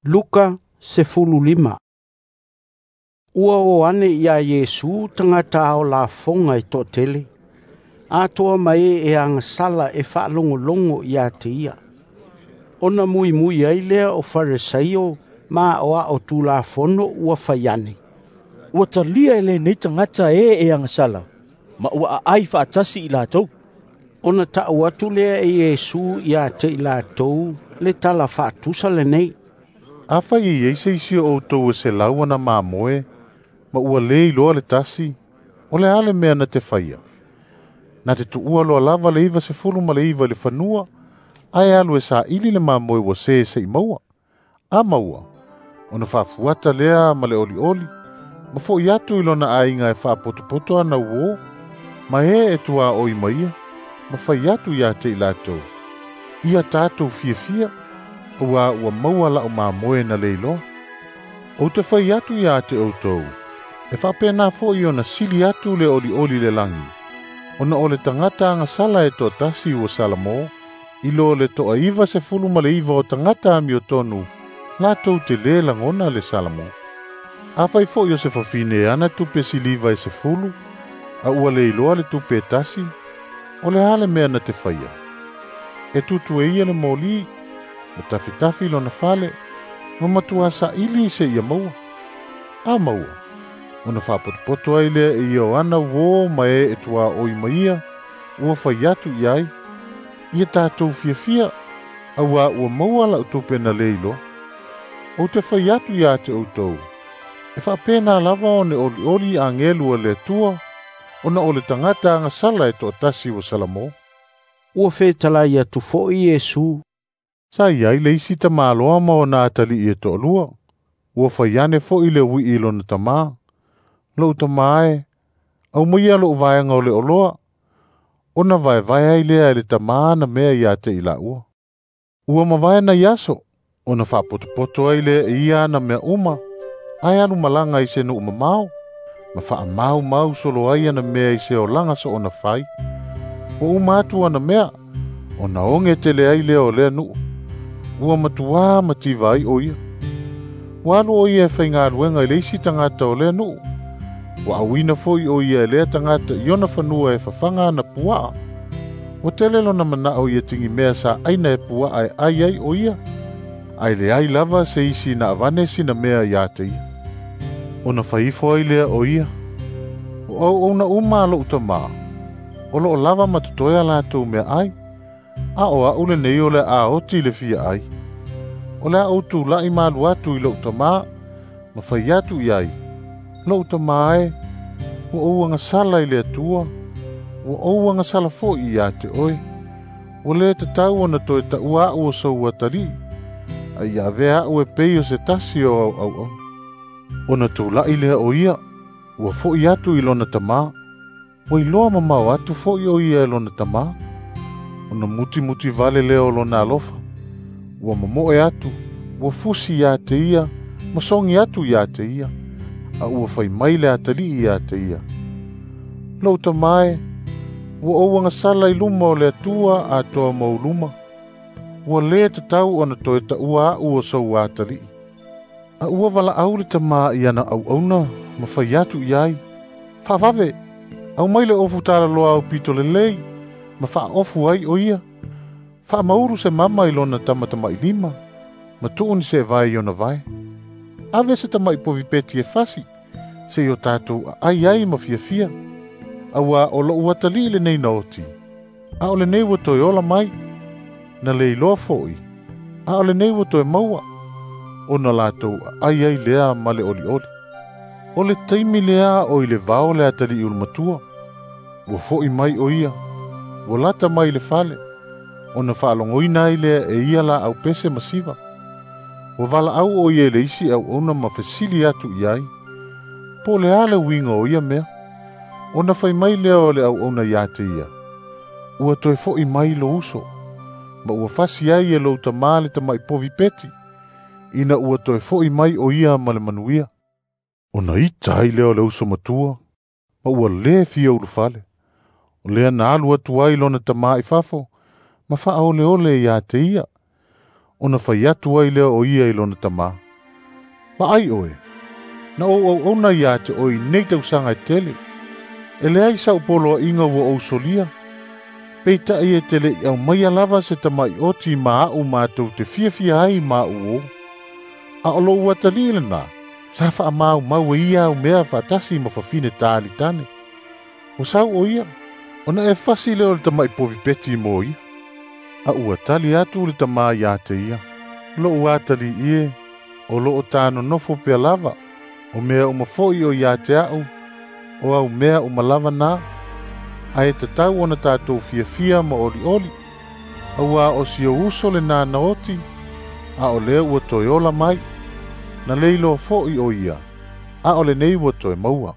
Luka 15. Ua o ane ia Iesu tagata ao lafoga e toatele, atoa ma e e agasala e faalogologo ia te ia. Ona muimui ai lea o Farisaio ma aoao Tulafono ua fai ane, "Ua talia e lenei tagata e e agasala, ma ua aai faatasi i latou." Ona tau atu lea e Iesu ia te i latou le tala faatusa lenei. Afai e iai se isi o outou e 100 ana mamoe, ma ua le iloa le tasi, o le a le mea na te faia? Na te tuua loa lava le 99 i le fanua, ae alu e saili le mamoe ua se seia maua. A maua, ona faafuata lea ma le olioli, ma fo'i atu i lona aiga e faapotopoto ana uō, ma e e tuaoi ma ia, ma fai atu ia te i latou, ia tatou fiafia, auā ua maua la'u mamoe na le iloa. Ou te fai atu ia te outou, e faapena fo'i ona sili atu le olioli i le lagi, ona o le tagata agasala e toatasi ua salamo, i lo le 99 o tagata amiotonu, latou te lē lagona le salamo. Afai fo'i o se fafine e ana tupe siliva e 10, a ua le iloa le tupe e tasi, o le a le mea na te faia? E tutu e ia le moli, ma tafitafi lona fale, ma matuā saili seia maua. A maua, ona faapotopoto ai lea e ia o ana uō ma e e tuaoi ma ia, ua fai atu i ai, ia tatou fiafia, auā ua maua la'u tupe na le iloa. Ou te fai atu ia te outou, e faapena lava ona olioli agelu a le Atua, ona o le tagata agasala e toatasi ua salamo. Ua fetalai atu fo'i Iesu. Sa iai le isi tamāloa ma ona atalii e toalua, ua fai ane fo'i le ui'i i lona tamā. Lou tamā e, aumaia lo'u vaega o le oloa, ona vaevae ai lea e le tamā ana mea ia te i laua. Ua mavae nai aso, ona faapotopoto ai lea e ia ana mea uma, ae alu malaga i se nuu mamao, ma faamaumau solo ai ana mea i se olaga soona fai. Ua uma atu ana mea, ona oge tele ai lea o lea nuu. Ua matuā mativa ai o ia. Ua alu o ia e faigaluega i le isi tagata o lea nuu. Ua auina fo'i o ia e lea tagata i ona fanua e fafaga ana puaa. Ua tele lona mana'o ia tigimea sa aina e puaa e ai ai o ia, ae leai lava se isi na avane sina mea ia te ia. Ona fai ifo ai lea o ia, o auauna uma a lo'u tamā, o loo lava ma totoe a latou meaai, a o a'u lenei o le a oti i le fia ai. O le a ou tula'i ma alu atu i lo'u tamā, ma fai atu i ai, lo'u tamā e, ua ou agasala i le Atua, ua ou agasala fo'i ia te oe. Ua lē tatau ona toe taʻua a'u o sou atalii, a ia avea a'u e pei o se tasi o au auauna. Ona tula'i lea o ia, ua fo'i atu i lona tamā. Ua iloa mamao atu fo'i o ia e lona tamā. Ona mutimuti vale lea o lona alofa. Ua mamoe atu, ua fusi ia te ia, ma sogi atu ia te ia, a ua fai mai le atalii ia te ia. Lou tamā e, ua ou agasala i luma o le Atua atoa ma ou luma. Ua lē tatau ona toe taʻua aʻu o sou atalii. A ua valaau le tamā i ana auauna ma fai atu i ai, faavave, aumai le ofu talaloa aupito lelei, ma faaofu ai o ia. Faamaulu se mama i lona tamatamailima, ma tuu ni seevae i ona vae. Ave se tama'i povi peti e fasi, seia o tatou aai ai ma fiafia. Auā o lo'u atalii lenei na oti, a o lenei ua toe ola mai, na le iloa fo'i, a o lenei ua toe maua, ona latou aai ai lea ma le olioli. O le taimi lea o i le vao le atalii ulumatua, ua fo'i mai o ia, ua lata mai i le fale, ona faalogoina ai lea e ia laau pese ma siva. Ua valaau o ia i le isi auauna ma fesili atu i ai, po o le a le uiga o ia mea. Ona fai mai lea o le auauna ia te ia, ua toe fo'i mai lou uso, ma ua fasi ai e lou tamā le tama'i povi peti, ina ua toe fo'i mai o ia ma le manuia. Ona ita ai lea o le uso matua, ma ua lē fia ulufale. O lea na alu atu ai lona tamā i fafo, ma faaoleole ia te ia. Ona fai atu ai lea o ia i lona tamā, Vaai oe, na ou auauna ia te oe i nei tausaga e tele. E leai sa'u poloa'iga ua ou solia. Peita'i e te le'i aumaia lava se tama'ioti ma a'u matou te fiafia ai ma a'u uō. A o lo'u atalii lenā, sa fa'amaumau e ia au mea fa'atasi ma fafine talitane. Ua sau o ia, ona e fasi lea o le tama'i povi peti mo ia. A ua tali atu le tamā iā te ia, lo'u atalii e, o lo'o tānonofo pea lava, o mea uma fo'i o iā te a'u, o au mea uma lava na, ae tatau ona tatou fiafia ma olioli, auā o si ou uso lenā na oti, a o lea ua toe ola mai, na le iloa fo'i o ia, a o lenei ua toe maua.